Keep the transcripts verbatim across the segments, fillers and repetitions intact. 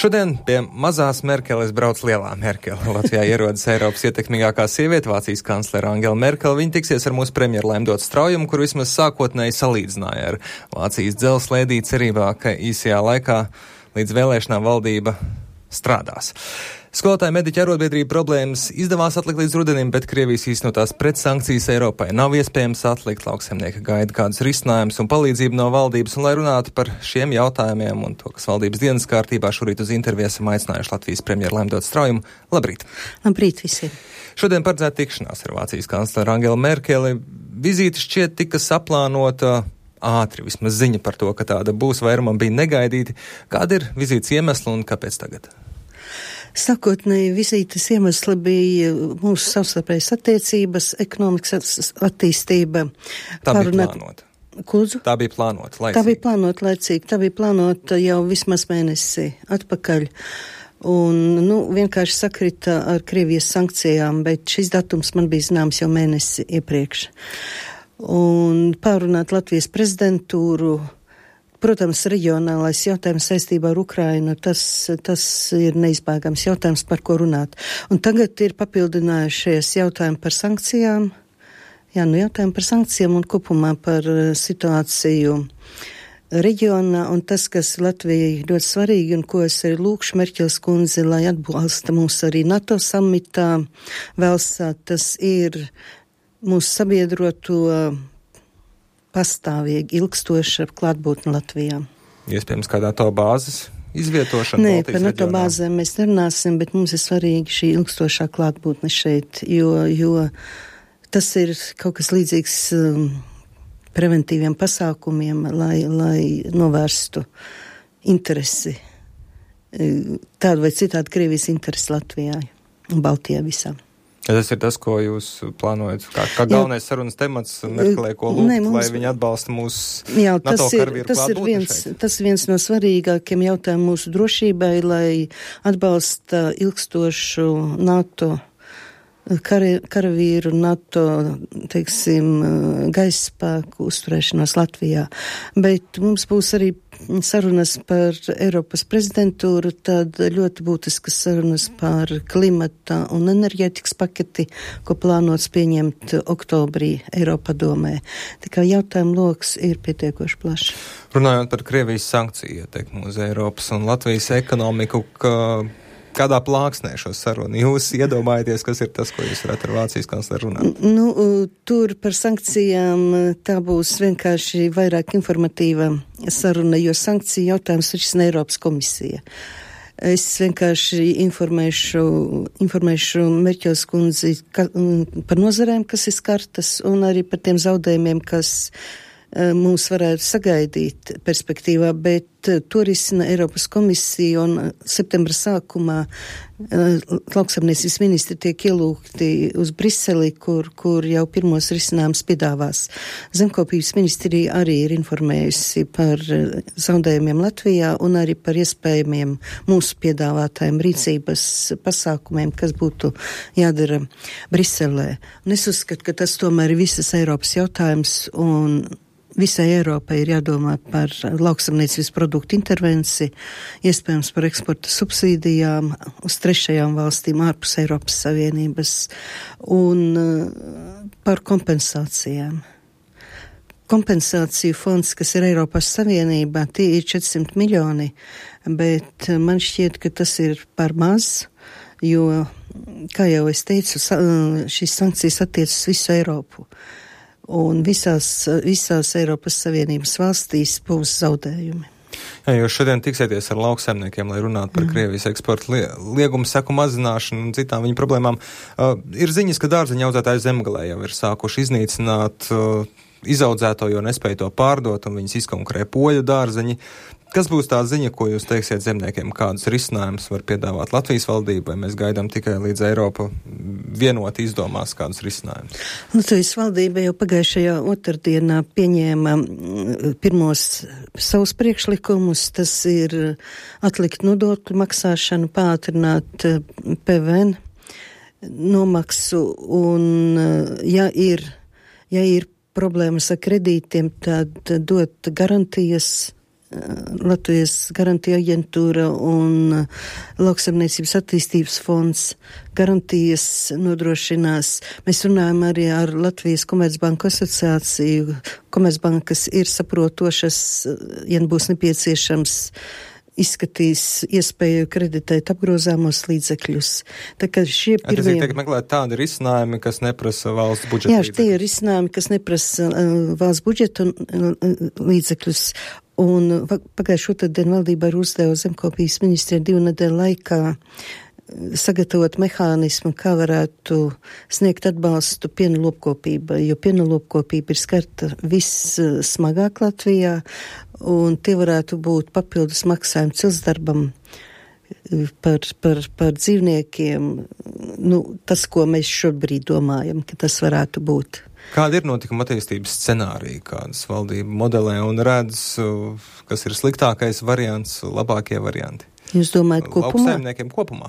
Šodien pie mazās Merkeles brauc lielā Merkele. Latvijā ierodas Eiropas ietekmīgākā sieviete, Vācijas kanclere Angela Merkele. Viņa tiksies ar mūsu premjeru Laimdotu Straujumu, kur vismaz sākotnēji salīdzināja ar Vācijas dzelzslēdī cerībā, ka īsajā laikā līdz vēlēšanām valdība strādās. Skolotāju mediķu arotbiedrību problēmas izdevās atlikt līdz rudenim, bet Krievijas īstenotās pretsankcijas Eiropai nav iespējams atlikt. Lauksaimnieki gaida kādus risinājumus un palīdzību no valdības, un lai runātu par šiem jautājumiem un to, kas valdības dienas kārtībā, šorīt uz interviju esam aicinājuši Latvijas premjeru Laimdotu Straujumu. Labrīt! Labrīt visiem! Šodien paredzēta tikšanās ar Vācijas kancleru Angelu Merkeli. Vizīte šķiet tika saplānota ātri, vismaz ziņa par to, ka tāda būs, vairumam bija negaidīti. Kāda ir vizītes iemesla un kāpēc tagad? Sākotnēji vizītes iemesli bija mūsu savstarpējas attiecības, ekonomikas attīstība. Tā bija plānota. Kūdzu? Tā bija plānota laicīgi. Tā bija plānota laicīgi. Tā bija plānota jau vismaz mēnesi atpakaļ. Un, nu, vienkārši sakrita ar Krievijas sankcijām, bet šis datums man bija zināms jau mēnesi iepriekš. Un pārunāt Latvijas prezidentūru. Protams, reģionālais jautājums saistībā ar Ukrainu, tas, tas ir neizbēgams jautājums, par ko runāt. Un tagad ir papildinājušies jautājumi par sankcijām, jā, nu jautājumi par sankcijām un kopumā par situāciju reģionā, un tas, kas Latvijai ļoti svarīgi, un ko es arī lūkšu Merķels kundzi, lai atbalsta mūs arī NATO samitā Velsā, tas ir mūsu sabiedroto pastāvīgi ilgstoša klātbūtne Latvijā. Iespējams, kādā to bāzes izvietošana? Nē, Baltijas par NATO bāzēm mēs nerunāsim, bet mums ir svarīgi šī ilgstošā klātbūtne šeit, jo, jo tas ir kaut kas līdzīgs um, preventīviem pasākumiem, lai, lai novērstu interesi, tādu vai citādu Krievijas interesi Latvijā un Baltijā visā. Tas ir tas, ko jūs plānojat, kā, kā galvenais Jā. sarunas temats Merkelē, ko lūgt, Nē, mums... lai viņi atbalsta mūsu Jā, NATO ir, karavīru klātbūtni šeit. Tas ir viens no svarīgākiem jautājumiem mūsu drošībai, lai atbalsta ilgstošu NATO kari, karavīru, NATO, teiksim, gaisa spēku uzturēšanos Latvijā. Bet mums būs arī sarunas par Eiropas prezidentūru, tad ļoti būtiskas sarunas par klimata un enerģētikas paketi, ko plānots pieņemt oktobrī Eiropadomē. Tā kā jautājumu loks ir pietiekoši plašs. Runājot par Krievijas sankciju ietekmi uz Eiropas un Latvijas ekonomiku, ka kādā plāksnē šo sarunu jūs iedomājaties, kas ir tas, ko jūs varat ar Vācijas kancleru runāt? Nu, tur par sankcijām tā būs vienkārši vairāk informatīva saruna, jo sankciju jautājums risina Eiropas komisija. Es vienkārši informēšu, informēšu Merķels kundzi ka, par nozarēm, kas ir skartas, un arī par tiem zaudējumiem, kas mums varētu sagaidīt perspektīvā, bet to risina Eiropas komisija, un septembra sākumā lauksaimniecības ministri tiek ielūgti uz Briseli, kur, kur jau pirmos risinājums piedāvās. Zemkopības ministrija arī ir informējusi par zaudējumiem Latvijā un arī par iespējamiem mūsu piedāvātājiem rīcības pasākumiem, kas būtu jādara Briselē. Un es uzskatu, ka tas tomēr ir visas Eiropas jautājums, un visai Eiropai ir jādomā par lauksaimniecības produktu intervenciju, iespējams par eksporta subsīdijām uz trešajām valstīm ārpus Eiropas Savienības un par kompensācijām. Kompensāciju fonds, kas ir Eiropas Savienībā, tie ir četrsimt miljoni, bet man šķiet, ka tas ir par maz, jo, kā jau es teicu, šīs sankcijas attiecas uz visu Eiropu. Un visās, visās Eiropas Savienības valstīs būs zaudējumi. Jā, jūs šodien tiksieties ar lauksaimniekiem, lai runātu par mm. Krievijas eksporta liegumu seku mazināšanu un citām viņu problēmām. Uh, ir ziņas, ka dārzeņu audzētāji Zemgalē jau ir sākuši iznīcināt uh, izaudzēto, jo nespēja to pārdot, un viņas izkonkurē poļu dārzeņi. Kas būs tā ziņa, ko jūs teiksiet zemniekiem, kādus risinājumus var piedāvāt Latvijas valdība, vai mēs gaidām tikai līdz Eiropa vienot izdomās kādus risinājumus? Latvijas valdība jau pagājušajā otrdienā pieņēma pirmos savus priekšlikumus, tas ir atlikt nodokļu maksāšanu, pātrināt P V N nomaksu, un ja ir, ja ir problēmas ar kredītiem, tad dot garantijas Latvijas garantija aģentūra un Lauksaimniecības attīstības fonds garantijas nodrošinās. Mēs runājam arī ar Latvijas Komercbanku asociāciju. Komercbankas ir saprotošas, ja būs nepieciešams, izskatīs iespēju kreditēt apgrozāmos līdzekļus. Tā kā šie pirmie... Tas ir tiek meklēt tādi risinājumi, kas neprasa valsts budžeta Jā, līdzekļus. Jā, tie ir risinājumi, kas neprasa uh, valsts budžeta uh, līdzekļus. Un pagājušo otrdien valdībā ir uzdeva zemkopības ministrija divu nedēļu laikā sagatavot mehānismu, kā varētu sniegt atbalstu piena lopkopībai, jo piena lopkopība ir skarta vissmagāk Latvijā, un tie varētu būt papildus maksājumi ciltsdarbam par, par, par dzīvniekiem. Nu, tas, ko mēs šobrīd domājam, ka tas varētu būt. Kāda ir notikuma attīstības scenārija, kādas valdība modelē un redz, kas ir sliktākais variants, labākie varianti? Jūs domājat kopumā? Lauksaimniekiem kopumā.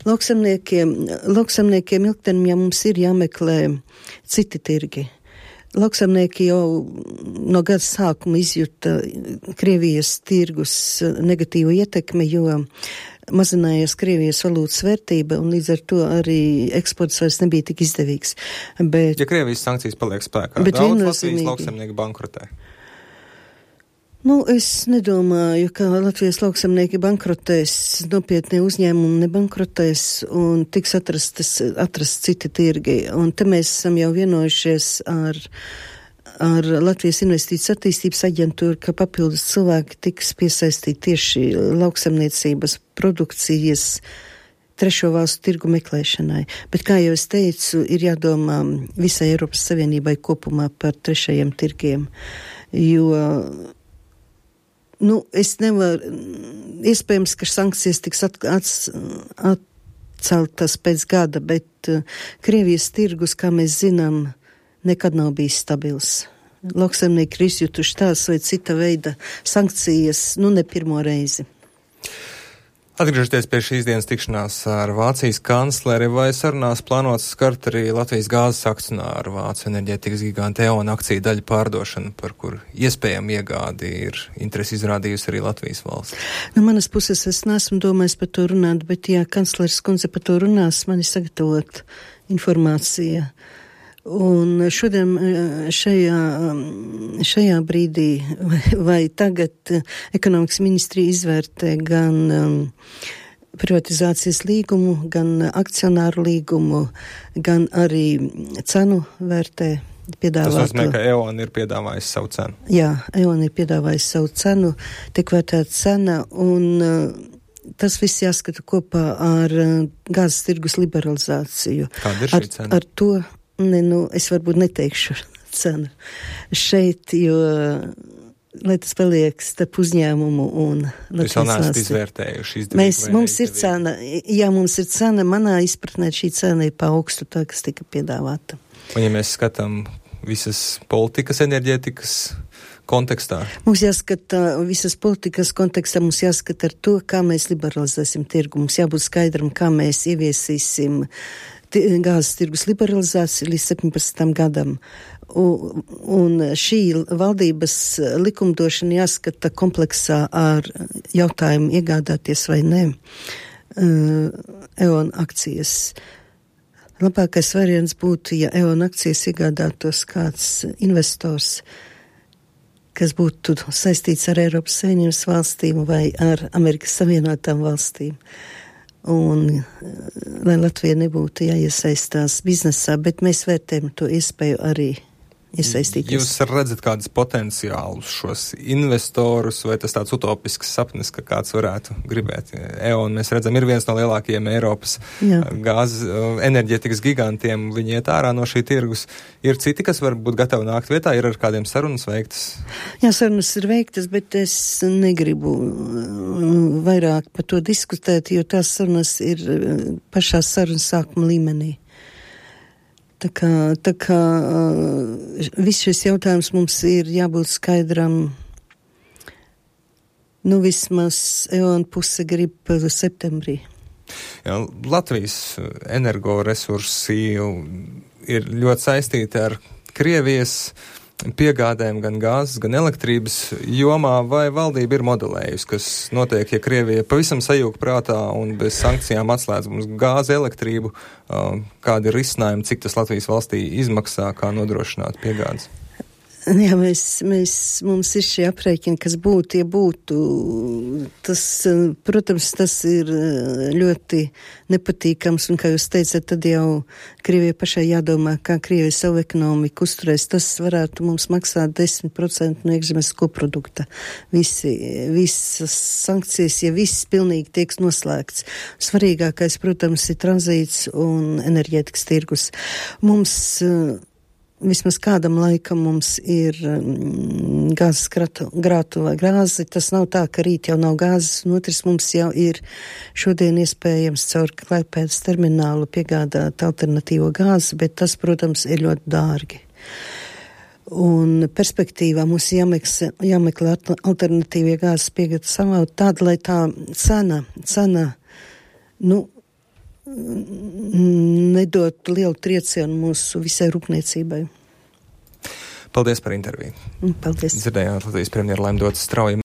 Lauksaimniekiem, lauksaimniekiem ilgtermiņā mums ir jāmeklē citi tirgi. Lauksaimnieki jau no gada sākuma izjuta Krievijas tirgus negatīvu ietekmi, jo mazinājās Krievijas valūtas vērtība un līdz ar to arī eksports vairs nebija tik izdevīgs. Bet, ja Krievijas sankcijas paliek spēkā, daudz Latvijas lauksaimnieki bankrotē. Nu, es nedomāju, ka Latvijas lauksaimnieki bankrotēs, nopietnie uzņēmumi nebankrotēs un tiks atrastas, atrast citi tirgi. Un te mēs esam jau vienojušies ar, ar Latvijas Investīcijas attīstības aģentūru, ka papildus cilvēki tiks piesaistīti tieši lauksaimniecības produkcijas trešo valstu tirgu meklēšanai. Bet, kā jau es teicu, ir jādomā visai Eiropas Savienībai kopumā par trešajiem tirgiem, jo Nu, es nevaru, iespējams, ka sankcijas tiks at, at, atceltas pēc gada, bet uh, Krievijas tirgus, kā mēs zinām, nekad nav bijis stabils. Lauksaimnieki ir izjutuši tās vai cita veida sankcijas, nu ne pirmo reizi. Atgriežoties pie šīs dienas tikšanās ar Vācijas kancleri, vai sarunās plānots skart arī Latvijas gāzes akcionāru Vācu enerģētikas gigantu E O N akciju daļu pārdošanu, par kur iespējami iegādi ir interesi izrādījusi arī Latvijas valsts? No manas puses es neesmu domājis par to runāt, bet ja kancleris kundze par to runās, man ir sagatavot informācija. Un šodien šajā, šajā brīdī vai, vai tagad ekonomikas ministrija izvērtē gan um, privatizācijas līgumu, gan akcionāru līgumu, gan arī cenu vērtē. Tas nozīmē, ka E O N ir piedāvājis savu cenu. Jā, E O N ir piedāvājis savu cenu, tiek vērtēta cena un uh, tas viss jāskata kopā ar uh, gāzes tirgus liberalizāciju. Kāda ir šī ar, cena? Ar to Ne, nu, es varbūt neteikšu cenu šeit, jo, lai tas paliek starp uzņēmumu un Jūs vēl neesat izvērtējuši izdevību Mēs, vai mums ir cena, jā, mums ir cena, manā izpratnē šī cena ir pa augstu tā, kas tika piedāvāta. Un ja mēs skatām visas politikas, enerģētikas kontekstā? Mums jāskata visas politikas kontekstā, mums jāskata ar to, kā mēs liberalizēsim tirgu. Mums jābūt skaidram, kā mēs ieviesīsim gāzes tirgus liberalizācija līdz septiņpadsmitam gadam. Un, un šī valdības likumdošana jāskata kompleksā ar jautājumu iegādāties vai ne uh, E O N akcijas. Labākais variants būtu, ja E O N akcijas iegādātos kāds investors, kas būtu saistīts ar Eiropas Savienības valstīm vai ar Amerikas Savienotām valstīm. Un lai Latvija nebūtu jāiesaistās biznesā, bet mēs vērtējam to iespēju arī iesaistīties. Jūs redzat kādus potenciālus šos investorus, vai tas tāds utopisks sapnis, ka kāds varētu gribēt? E O N, mēs redzam, ir viens no lielākajiem Eiropas Jā. gāzes enerģētikas gigantiem, viņi iet ārā no šī tirgus. Ir citi, kas var būt gatavi nākt vietā, ir ar kādiem sarunas veiktas? Jā, sarunas ir veiktas, bet es negribu vairāk par to diskutēt, jo tās sarunas ir pašā sarunas sākuma līmenī. Tā kā, tā kā viss šis jautājums mums ir jābūt skaidram, nu vismaz E O N puse grib septembrī. Jā, Latvijas energoresursi ir ļoti saistīti ar Krievijas piegādēm gan gāzes, gan elektrības jomā, vai valdība ir modelējusi, kas notiek, ja Krievija pavisam sajūg prātā un bez sankcijām atslēdz mums gāzi, elektrību, kādi ir risinājumi, cik tas Latvijas valstī izmaksā, kā nodrošināt piegādes? Jā, mēs, mēs, mums ir šie aprēķini, kas būtu, ja būtu, tas, protams, tas ir ļoti nepatīkams, un kā jūs teicat, tad jau Krievijai pašai jādomā, kā Krievija savu ekonomiku uzturēs, tas varētu mums maksāt desmit procenti no iekšzemes koprodukta. Visi, visas sankcijas, ja viss pilnīgi tiek noslēgts. Svarīgākais, protams, ir tranzīts un enerģētikas tirgus. Mums vismaz kādam laikam mums ir mm, gāzes grātu vai grāzi. Tas nav tā, ka rīt jau nav gāzes, un otrs mums jau ir šodien iespējams caur Klaipēdas terminālu piegādāt alternatīvo gāzi, bet tas, protams, ir ļoti dārgi. Un perspektīvā mums jāmeklē, jāmeklē alternatīvie gāzes piegādes savā tāda, lai tā cena, cena, nu, nedot lielu triecienu mūsu visai rūpniecībai. Paldies par interviju. Paldies. Dzirdējāt Latvijas premjeru Laimdotu Strauju.